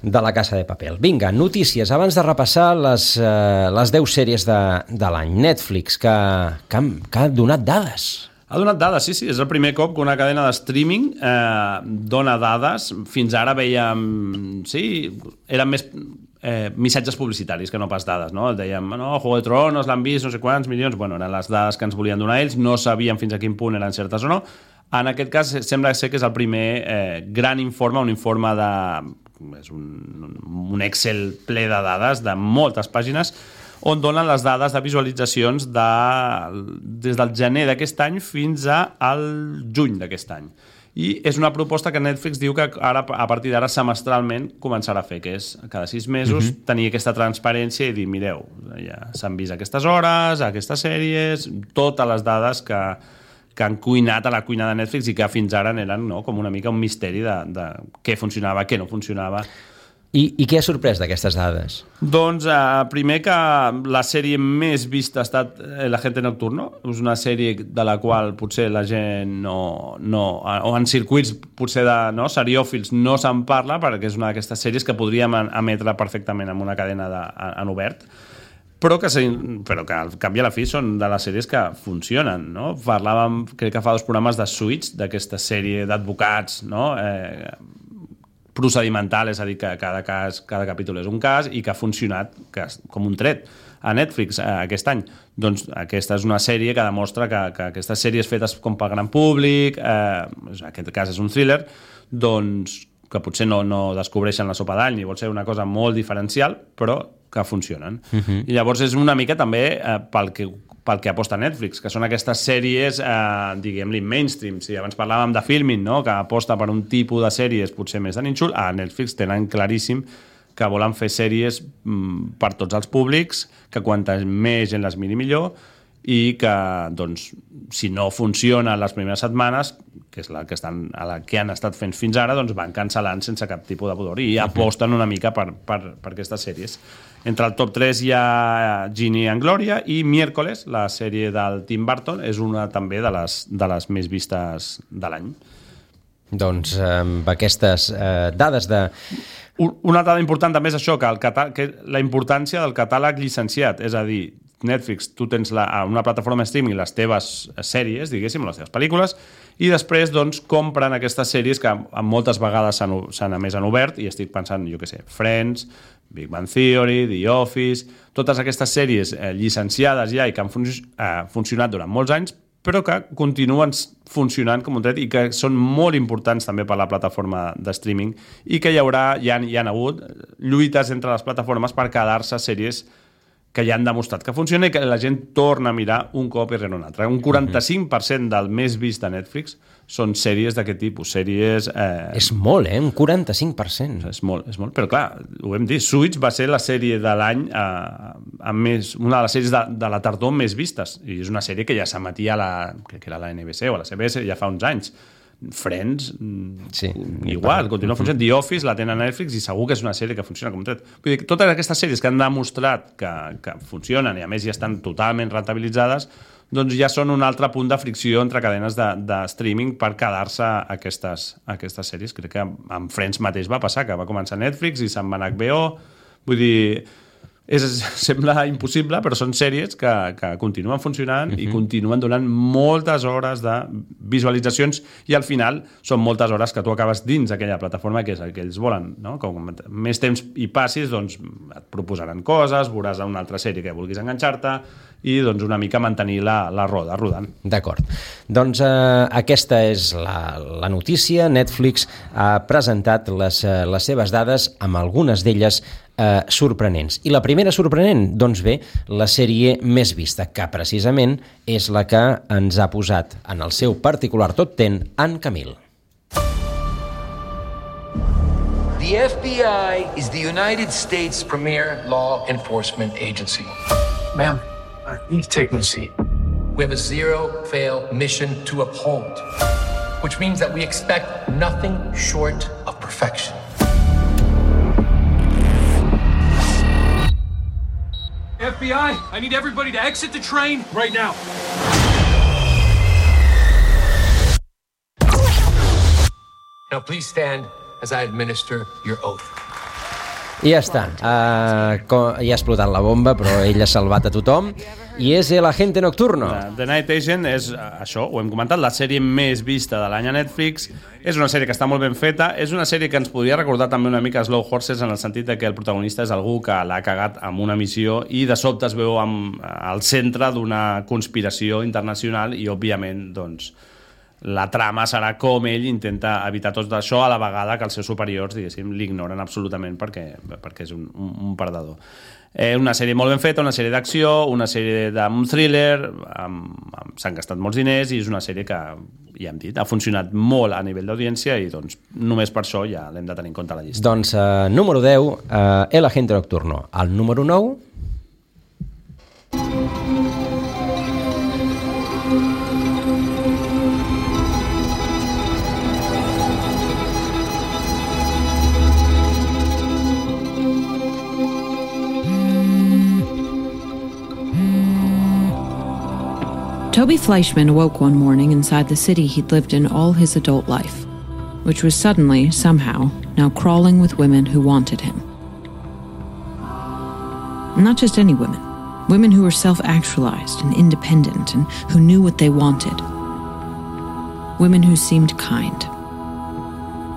de La Casa de Papel. Vinga, notícies, abans de repassar les, eh, les deu sèries de, de l'any. Netflix, que, que, ha, que ha donat dades. Ha donat dades, sí, sí. És el primer cop que una cadena de streaming eh, dona dades. Fins ara veiem... Sí, eren més eh, missatges publicitaris que no pas dades, no? Dèiem, no, Juego de Tronos l'han vist, no sé quants milions... Bueno, eren les dades que ens volien donar ells, no sabíem fins a quin punt eren certes o no. En aquest cas, sembla ser que és el primer eh, gran informe, un informe de... És un, un Excel ple de dades, de moltes pàgines, on donen les dades de visualitzacions de, des del gener d'aquest any fins al juny d'aquest any. I és una proposta que Netflix diu que ara, a partir d'ara semestralment començarà a fer, que és cada sis mesos uh-huh. tenir aquesta transparència i dir, mireu, ja s'han vist aquestes hores, aquestes sèries, totes les dades que, que han cuinat a la cuina de Netflix i que fins ara eren no, com una mica un misteri de, de què funcionava, què no funcionava. I, I què ha sorprès d'aquestes dades? Doncs eh, primer que la sèrie més vista ha estat El Agente Nocturno. És una sèrie de la qual potser la gent no... no o en circuits potser de no, seriòfils no se'n parla, perquè és una d'aquestes sèries que podríem emetre perfectament en una cadena de, en obert, però que, però que al cap i a la fi són de les sèries que funcionen, no? Parlàvem, crec que fa dos programes de Suits, d'aquesta sèrie d'advocats, no? Eh, procedimental, és a dir, que cada cas, cada capítol és un cas i que ha funcionat que, com un tret a Netflix eh, aquest any. Doncs aquesta és una sèrie que demostra que, que aquestes sèries fetes com pel gran públic, eh, en aquest cas és un thriller, doncs que potser no, no descobreixen la sopa d'all ni vol ser una cosa molt diferencial, però que funcionen. Uh-huh. I llavors és una mica també eh, pel que pel que aposta Netflix, que són aquestes sèries, eh, diguem-li, mainstream. Si abans parlàvem de Filmin, no? Que aposta per un tipus de sèries potser més de nínxol, a Netflix tenen claríssim que volen fer sèries mm, per tots els públics, que quanta més gent les miri millor, i que, doncs, si no funciona les primeres setmanes, que és la que, estan, a la que han estat fent fins ara, doncs van cancel·lant sense cap tipus de pudor i aposten una mica per, per, per aquestes sèries. Entre el top tres hi ha Ginny and Gloria i Miércoles, la sèrie del Tim Burton, és una també de les, de les més vistes de l'any. Doncs amb aquestes eh, dades de... Una dada important també és això, que, el catà... que la importància del catàleg llicenciat, és a dir, Netflix, tu tens la, una plataforma de streaming les teves sèries, diguéssim, les teves pel·lícules, i després doncs, compren aquestes sèries que moltes vegades s'han emès en obert, i estic pensant, jo què sé, Friends, Big Bang Theory, The Office, totes aquestes sèries eh, llicenciades ja i que han fun eh, funcionat durant molts anys, però que continuen funcionant com un tret i que són molt importants també per la plataforma de streaming i que hi haurà, hi ha, hi ha hagut lluites entre les plataformes per quedar-se sèries que ja han demostrat que funciona i que la gent torna a mirar un cop i rere un altre. Un quaranta-cinc per cent del més vist de Netflix són sèries d'aquest tipus, sèries... Eh... És molt, eh? Un quaranta-cinc per cent. És molt, és molt. Però clar, ho hem dit, Suits va ser la sèrie de l'any eh, amb més, una de les sèries de, de la tardor més vistes, i és una sèrie que ja s'emetia a la, crec que era la N B C o a la C B S ja fa uns anys. Friends, sí, igual, continua funcionant. The Office la tenen a Netflix i segur que és una sèrie que funciona com un tret. Vull dir, totes aquestes sèries que han demostrat que, que funcionen i a més ja estan totalment rentabilitzades, doncs ja són un altre punt de fricció entre cadenes de, de streaming per quedar-se aquestes, aquestes sèries. Crec que amb Friends mateix va passar, que va començar Netflix i se'n va anar a H B O. Vull dir... És, sembla impossible, però són sèries que, que continuen funcionant uh-huh. i continuen donant moltes hores de visualitzacions i al final són moltes hores que tu acabes dins aquella plataforma que és el que ells volen, no? Com més temps hi passis, doncs et proposaran coses, veuràs una altra sèrie que vulguis enganxar-te i doncs una mica mantenir la, la roda rodant. D'acord. Doncs eh, aquesta és la, la notícia. Netflix ha presentat les, les seves dades amb algunes d'elles Eh, sorprenents. I la primera sorprenent, doncs bé, la sèrie més vista, que precisament és la que ens ha posat en el seu particular top ten en Camil. The F B I is the United States premier law enforcement agency. Ma'am, uh, you need to take my seat. We have a zero-fail mission to uphold, which means that we expect nothing short of perfection. F B I, I need everybody to exit the train right now. Now please stand as I administer your oath. I ja està. Uh, com, ja ha explotat la bomba, però ell ha salvat a tothom. I és El Agente Nocturno. The Night Agent és, això, ho hem comentat, la sèrie més vista de l'any a Netflix. És una sèrie que està molt ben feta. És una sèrie que ens podria recordar també una mica Slow Horses, en el sentit de que el protagonista és algú que l'ha cagat amb una missió i de sobte es veu amb, al centre d'una conspiració internacional i, òbviament, doncs, la trama serà com ell intenta evitar tot això a la vegada que els seus superiors, diguéssim, l'ignoren absolutament perquè, perquè és un, un, un perdedor. Eh, una sèrie molt ben feta, una sèrie d'acció, una sèrie d'un thriller, amb, amb, s'han gastat molts diners i és una sèrie que, ja hem dit, ha funcionat molt a nivell d'audiència i doncs només per això ja l'hem de tenir en compte a la llista. Doncs uh, número deu, uh, El Agente Nocturno. El número nou... Toby Fleischman awoke one morning inside the city he'd lived in all his adult life, which was suddenly, somehow, now crawling with women who wanted him. Not just any women. Women who were self-actualized and independent and who knew what they wanted. Women who seemed kind.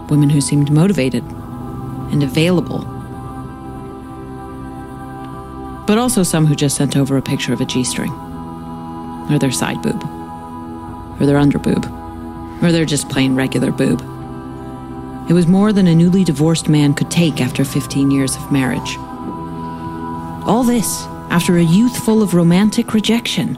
Women who seemed motivated and available. But also some who just sent over a picture of a G-string. Or their side boob. Or their under boob. Or their just plain regular boob. It was more than a newly divorced man could take after fifteen years of marriage. All this after a youth full of romantic rejection.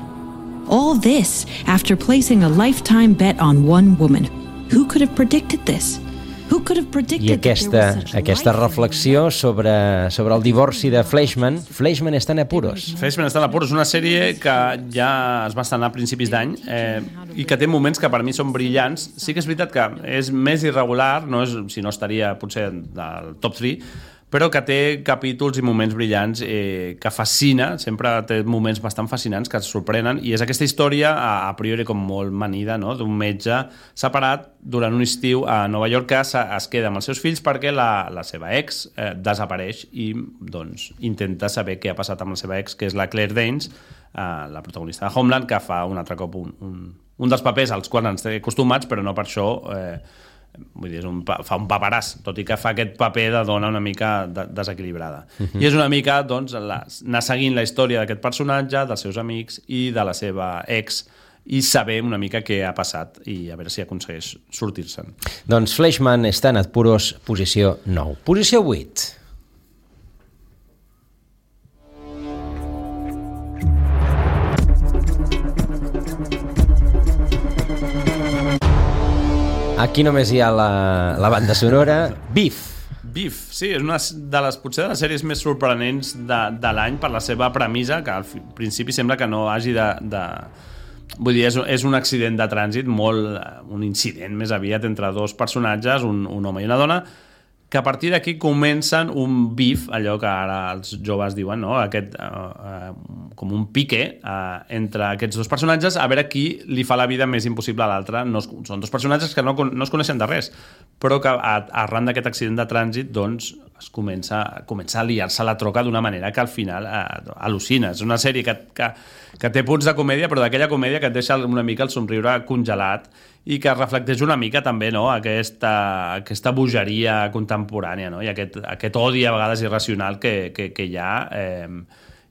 All this after placing a lifetime bet on one woman. Who could have predicted this? Who could have predicted I aquesta, aquesta reflexió sobre, sobre el divorci de Fleischman. Fleischman està en apuros. Fleischman està en apuros, una sèrie que ja es va estrenar a principis d'any eh, i que té moments que per mi són brillants. Sí que és veritat que és més irregular, no és, si no estaria potser del top tres, però que té capítols i moments brillants eh, que fascina, sempre té moments bastant fascinants que et sorprenen, i és aquesta història a, a priori com molt manida, no? D'un metge separat durant un estiu a Nova York que es, es queda amb els seus fills perquè la, la seva ex eh, desapareix i doncs intenta saber què ha passat amb la seva ex, que és la Claire Danes, eh, la protagonista de Homeland, que fa un altre cop un, un, un dels papers als quals ens té acostumats, però no per això eh, vull dir, és un, fa un paperàs, tot i que fa aquest paper de dona una mica de, desequilibrada. Uh-huh. I és una mica, doncs, la, anar seguint la història d'aquest personatge, dels seus amics i de la seva ex, i saber una mica què ha passat i a veure si aconsegueix sortir-se'n. Doncs Fleischman està en apuros, posició nou. Posició vuit. Aquí només hi ha la, la banda sonora. Beef. Beef, sí, és una de les, potser de les sèries més sorprenents de, de l'any per la seva premissa, que al principi sembla que no hagi de... de... Vull dir, és, és un accident de trànsit, molt, un incident més aviat entre dos personatges, un, un home i una dona, que a partir d'aquí comencen un beef, allò que ara els joves diuen, no? Aquest, uh, uh, com un pique uh, entre aquests dos personatges, a veure qui li fa la vida més impossible a l'altre. No es, són dos personatges que no, no es coneixen de res, però que a, arran d'aquest accident de trànsit doncs, es comença, comença a liar-se la troca d'una manera que al final uh, al·lucina. És una sèrie que, que, que té punts de comèdia, però d'aquella comèdia que et deixa una mica el somriure congelat i que reflecteix una mica també, no? aquesta, aquesta bogeria contemporània, no? I aquest, aquest odi a vegades irracional que, que, que hi ha eh,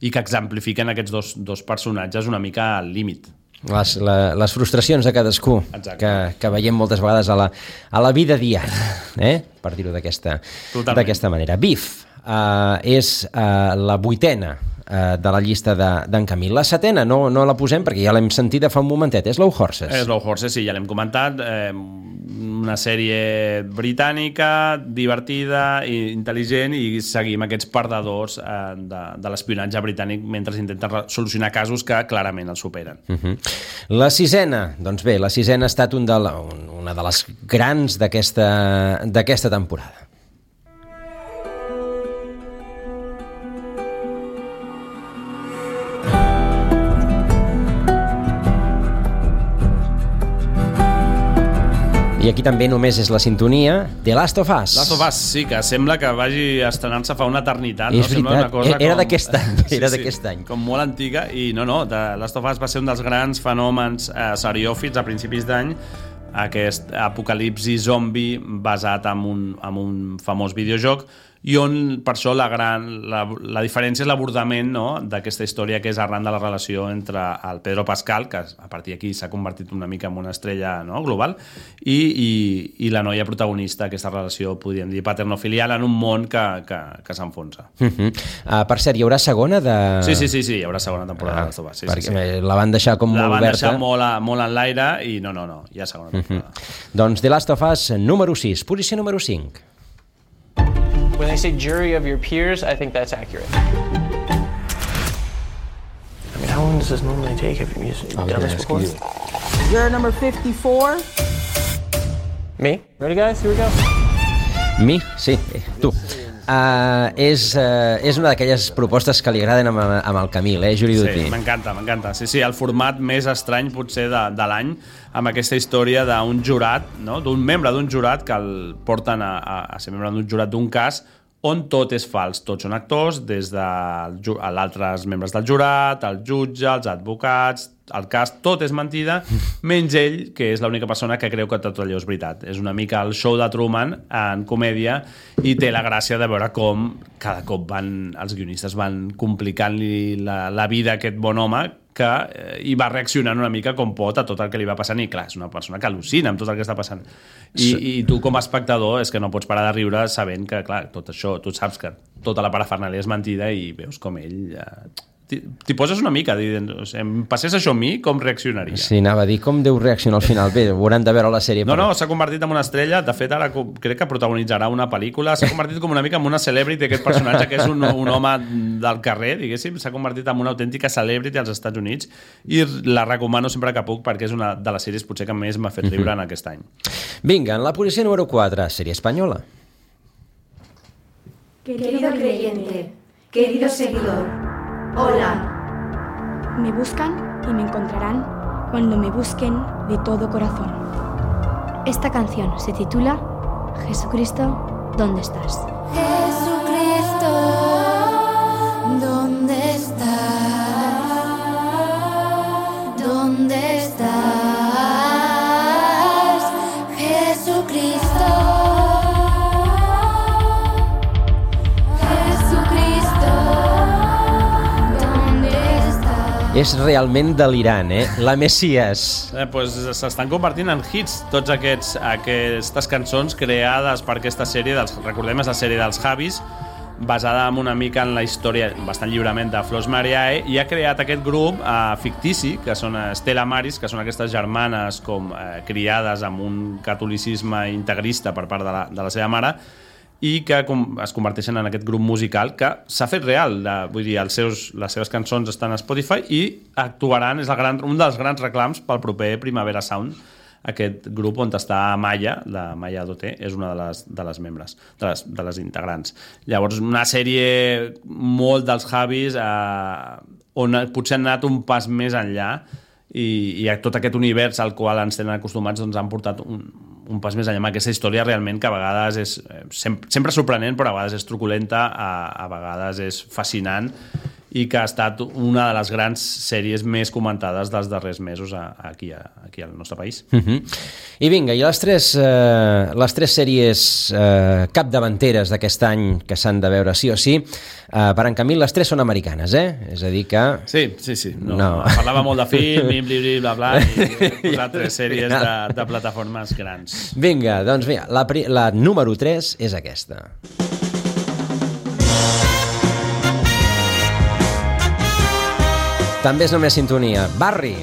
i que exemplifiquen aquests dos, dos personatges una mica al límit. Les, la, les frustracions de cadascú que, que veiem moltes vegades a la, a la vida diària, eh? Per dir-ho d'aquesta manera. Beef uh, és uh, la vuitena uh, de la llista d'en Camil. La setena no, no la posem perquè ja l'hem sentit fa un momentet, és Slow Horses. Slow Horses, sí, ja l'hem comentat. Eh, una sèrie britànica, divertida i intel·ligent, i seguim aquests perdedors eh, de, de l'espionatge britànic mentre intenten solucionar casos que clarament els superen. Uh-huh. La sisena, doncs bé, la sisena ha estat un de la, un, una de les grans d'aquesta d'aquesta temporada. I aquí també només és la sintonia de Last of Us. Last of Us, sí, que sembla que vagi estrenant-se fa una eternitat. És no? veritat, una cosa era com... d'aquest any, sí, era sí, d'aquest any. Com molt antiga, i no, no, The Last of Us va ser un dels grans fenòmens eh, seriòfits a principis d'any, aquest apocalipsi zombi basat en un, en un famós videojoc, i on, per això, la, gran, la, la diferència és l'abordament, no?, d'aquesta història, que és arran de la relació entre el Pedro Pascal, que a partir d'aquí s'ha convertit una mica en una estrella, no?, global, i, i, i la noia protagonista, aquesta relació, podríem dir, paternofilial, en un món que, que, que s'enfonsa. Uh -huh. uh, per cert, hi haurà segona de... Sí, sí, sí, sí, hi haurà segona temporada. Ah, de sí, perquè sí, sí. la van deixar com la molt van oberta. deixar molt, a, molt en l'aire i no, no, no, hi ha segona temporada. Uh -huh. Doncs The Last of Us, número sis, posició número cinc. When they say jury of your peers, I think that's accurate. I mean, how long does this normally take? Have you done this before? Juror number fifty-four. Me? Ready, guys? Here we go. Mi? Sí, tu. Uh, és, uh, és una d'aquelles propostes que li agraden amb, amb el Camil, eh, Juri Duty? Sí, m'encanta, m'encanta. Sí, sí, el format més estrany potser de, de l'any, amb aquesta història d'un jurat, no?, d'un membre d'un jurat que el porten a, a, a ser membre d'un jurat d'un cas on tot és fals. Tots són actors, des de altres membres del jurat, el jutge, els advocats, el cas, tot és mentida, menys ell, que és l'única persona que creu que tot allò és veritat. És una mica el show de Truman en comèdia i té la gràcia de veure com cada cop van, els guionistes van complicant-li la, la vida a aquest bon home, que eh, hi va reaccionant una mica com pot a tot el que li va passant, i clar, és una persona que al·lucina amb tot el que està passant. I, sí. I tu com a espectador és que no pots parar de riure sabent que, clar, tot això, tu saps que tota la parafernàlia és mentida i veus com ell... Eh, t'hi poses una mica, dient, o sigui, em passés això a mi, com reaccionaria? Sí, anava a dir, com deu reaccionar al final? Bé, ho hauran de veure la sèrie. No, però... no, s'ha convertit en una estrella, de fet ara crec que protagonitzarà una pel·lícula, s'ha convertit com una mica en una celebrity, aquest personatge que és un, un home del carrer, diguéssim, s'ha convertit en una autèntica celebrity als Estats Units, i la recomano sempre que puc perquè és una de les sèries potser que més m'ha fet riure en aquest any. Vinga, en la posició número quatre, sèrie espanyola. Querido creyente, querido seguidor, hola. Me buscan y me encontrarán cuando me busquen de todo corazón. Esta canción se titula Jesucristo, ¿dónde estás? Jesucristo, ¿dónde estás? ¿Dónde estás? Jesucristo. És realment delirant, eh? La Messias. Eh, pues s'estan convertint en hits tots aquests, aquestes cançons creades per aquesta sèrie, dels, recordem, és la sèrie dels Javis, basada en una mica en la història, bastant lliurement, de Flos Mariae, i ha creat aquest grup eh, fictici, que són Stella Maris, que són aquestes germanes com eh, criades amb un catolicisme integrista per part de la, de la seva mare, i que es converteixen en aquest grup musical que s'ha fet real, de, vull dir, els seus, les seves cançons estan a Spotify i actuaran, és el gran, un dels grans reclams pel proper Primavera Sound. Aquest grup on està Maya, la Maya Doté, és una de les, de les membres, de les, de les integrants. Llavors, una sèrie molt dels Javis, eh, on potser han anat un pas més enllà, i, i a tot aquest univers al qual ens tenen acostumats doncs han portat un, un pas més enllà amb aquesta història realment que a vegades és sempre, sempre sorprenent, però a vegades és truculenta, a, a vegades és fascinant, i que ha estat una de les grans sèries més comentades dels darrers mesos aquí, aquí al nostre país. Uh-huh. I vinga, i les tres, eh, les tres sèries eh, capdavanteres d'aquest any que s'han de veure sí o sí, eh, per en Camil, les tres són americanes, eh? És a dir que... Sí, sí, sí. No, no. Parlava molt de film, blim, blim, blim, bla, bla, i he posat tres sèries de, de plataformes grans. Vinga, doncs vinga, la, la número tres és aquesta. També és només sintonia. Barry.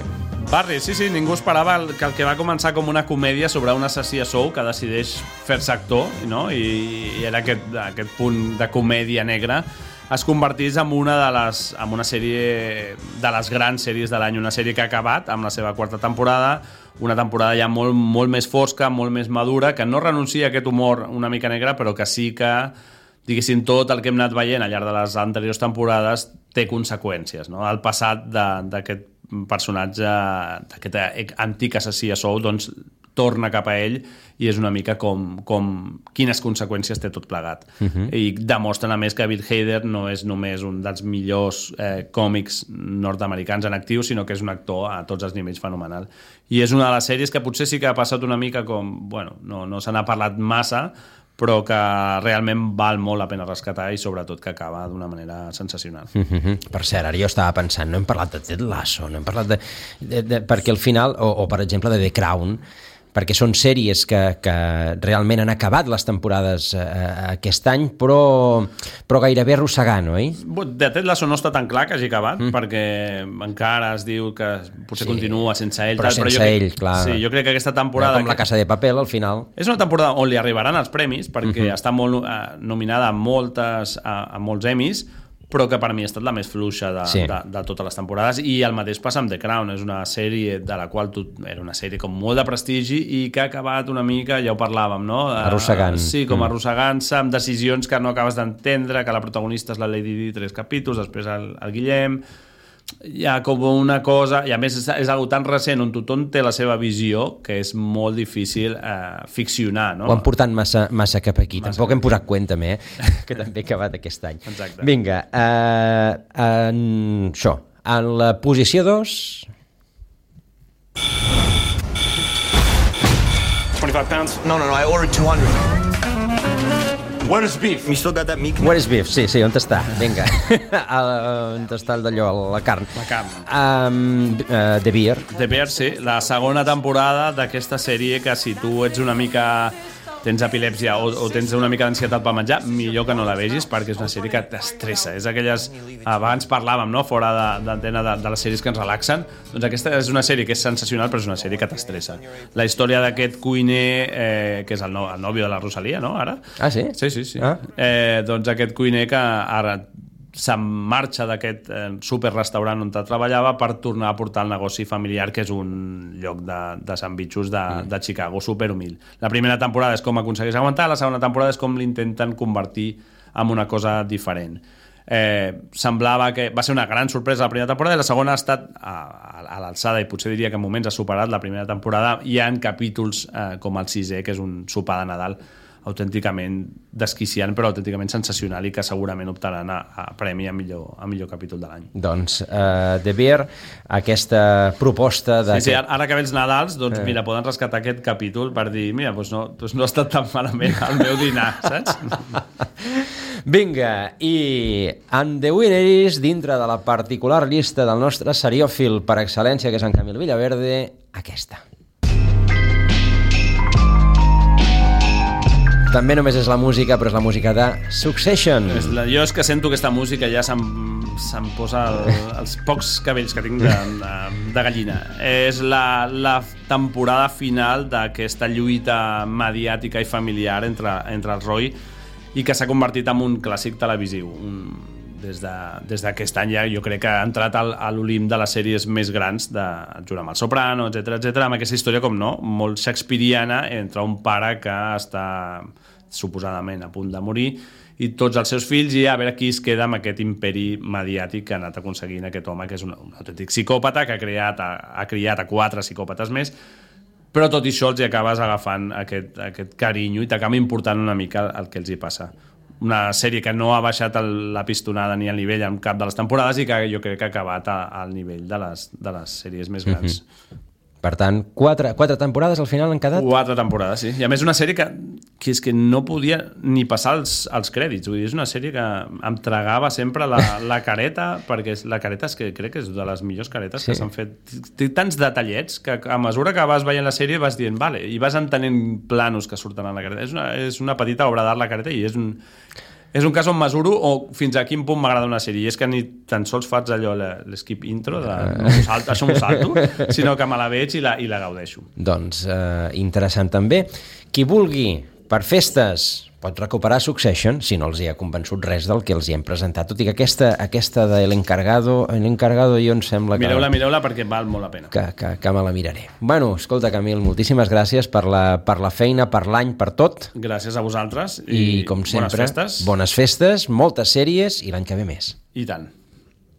Barry, sí, sí, ningú esperava el, que el que va començar com una comèdia sobre un assassí a sou que decideix fer-se actor, no? I, i era aquest, aquest punt de comèdia negra, es convertís en una de les, en una sèrie de les grans sèries de l'any, una sèrie que ha acabat amb la seva quarta temporada, una temporada ja molt, molt més fosca, molt més madura, que no renuncia a aquest humor una mica negre, però que sí que, diguéssim, tot el que hem anat veient al llarg de les anteriors temporades té conseqüències, no? El passat d'aquest personatge, d'aquest antic assassí a sou, doncs torna cap a ell i és una mica com, com quines conseqüències té tot plegat. Uh-huh. I demostren a més que Bill Hader no és només un dels millors eh, còmics nord-americans en actiu, sinó que és un actor a tots els nivells fenomenal. I és una de les sèries que potser sí que ha passat una mica com, bueno, no, no se n'ha parlat massa, però que realment val molt la pena rescatar i sobretot que acaba d'una manera sensacional. Mm-hmm. Per cert, ara jo estava pensant, no hem parlat de Ted Lasso, no hem parlat de... de, de perquè al final, o, o per exemple de The Crown, perquè són sèries que, que realment han acabat les temporades eh, aquest any, però, però gairebé arrossegant, oi? De Ted Lasso no està tan clar que hagi acabat, mm. perquè encara es diu que potser sí, continua sense ell. Però tal, sense però jo crec, ell, clar. Sí, jo crec que aquesta temporada... Com La Casa de Papel, al final. És una temporada on li arribaran els premis, perquè mm-hmm. està molt eh, nominada a, moltes, a, a molts Emmys, però que per mi ha estat la més fluixa de, sí. de, de totes les temporades, i el mateix passa amb The Crown. És una sèrie de la qual tu, era una sèrie com molt de prestigi i que ha acabat una mica, ja ho parlàvem, no? Arrossegant. Sí, com arrossegant-se, amb decisions que no acabes d'entendre, que la protagonista és la Lady Di, tres capítols, després el, el Guillem... Hi ha com una cosa, i a més és, és algo tan recent on tothom té la seva visió que és molt difícil eh, ficcionar, no? Ho han portat massa, massa cap aquí, massa tampoc cap. Hem posat cuenta també, eh? Que també ha acabat aquest any. Exacte. Vinga, eh, en això, en la posició dos... twenty-five pounds? No, no, no, I ordered two hundred. Where is beef? You still got that meat? Where is beef? Sí, sí, on està? Vinga. On està d'allò, la carn? La carn. Um, uh, The Bear. The Bear, sí. La segona temporada d'aquesta sèrie que si tu ets una mica... tens epilèpsia o, o tens una mica d'ansietat per menjar, millor que no la vegis perquè és una sèrie que t'estressa. És aquelles... Abans parlàvem, no?, fora d'antena de, de, de les sèries que ens relaxen. Doncs aquesta és una sèrie que és sensacional, però és una sèrie que t'estressa. La història d'aquest cuiner, eh, que és el, no, el nòvio de la Rosalia, no?, ara? Ah, sí? Sí, sí, sí. Ah. Eh, doncs aquest cuiner que ara se'n marxa d'aquest eh, superrestaurant on treballava per tornar a portar el negoci familiar, que és un lloc de, de sandvitxos de, mm. de Chicago, superhumil. La primera temporada és com aconsegueix aguantar, la segona temporada és com l'intenten convertir en una cosa diferent. Eh, semblava que va ser una gran sorpresa la primera temporada, i la segona ha estat a, a, a l'alçada, i potser diria que en moments ha superat la primera temporada. Hi ha capítols eh, com el sisè, que és un sopar de Nadal autènticament desquiciant, però autènticament sensacional, i que segurament optaran a, a premi a millor, a millor capítol de l'any. Doncs uh, The Bear, aquesta proposta de... Sí, sí, ara que ve els Nadals, doncs eh. mira, poden rescatar aquest capítol per dir, mira, doncs no, doncs no ha estat tan malament el meu dinar, saps? Vinga, i en The Winner is, dintre de la particular llista del nostre seriòfil per excel·lència, que és en Camil Villaverde, aquesta. També només és la música, però és la música de Succession. És la, jo és que sento aquesta música ja se'm, se'm posa el, els pocs cabells que tinc de, de, de gallina. És la, la temporada final d'aquesta lluita mediàtica i familiar entre, entre el Roy, i que s'ha convertit en un clàssic televisiu. Un, des d'aquest de, any ja jo crec que ha entrat al, a l'Olimp de les sèries més grans, de, junt amb el Soprano, etcètera, etcètera, amb aquesta història, com no, molt shakespeariana, entre un pare que està suposadament a punt de morir i tots els seus fills, i a veure qui es queda amb aquest imperi mediàtic que ha anat aconseguint aquest home, que és un, un autèntic psicòpata, que ha, creat, ha, ha criat a quatre psicòpates més, però tot i això els hi acabes agafant aquest, aquest carinyo i t'acaba important una mica el, el que els hi passa. Una sèrie que no ha baixat el, la pistonada ni el nivell en cap de les temporades, i que jo crec que ha acabat a, al nivell de les, de les sèries més grans. Mm-hmm. Per tant, quatre, quatre temporades al final han quedat? Quatre temporades, sí. I a més una sèrie que, que és que no podia ni passar els, els crèdits. Vull dir, és una sèrie que em tragava sempre la, la careta, perquè la careta és que crec que és de les millors caretes, sí, que s'han fet. Té tants detallets que a mesura que vas veient la sèrie vas dient, vale, i vas entenent planos que surten en la careta. És una, és una petita obra d'art la careta, i és un... És un cas on mesuro o fins a quin punt m'agrada una sèrie, i és que ni tan sols faig allò, l'skip intro, de, no salto, això m'ho salto, sinó que me la veig i la, i la gaudeixo. Doncs eh, interessant també. Qui vulgui, per festes, pot recuperar Succession, si no els hi ha convençut res del que els hi hem presentat, tot i que aquesta, aquesta de l'encargado, l'encargado jo em sembla que... Mireu-la, mireu-la, perquè val molt la pena. Que, que, que me la miraré. Bueno, escolta, Camil, moltíssimes gràcies per la, per la feina, per l'any, per tot. Gràcies a vosaltres. I, I com sempre, bones festes. Bones festes, moltes sèries, i l'any que ve més. I tant.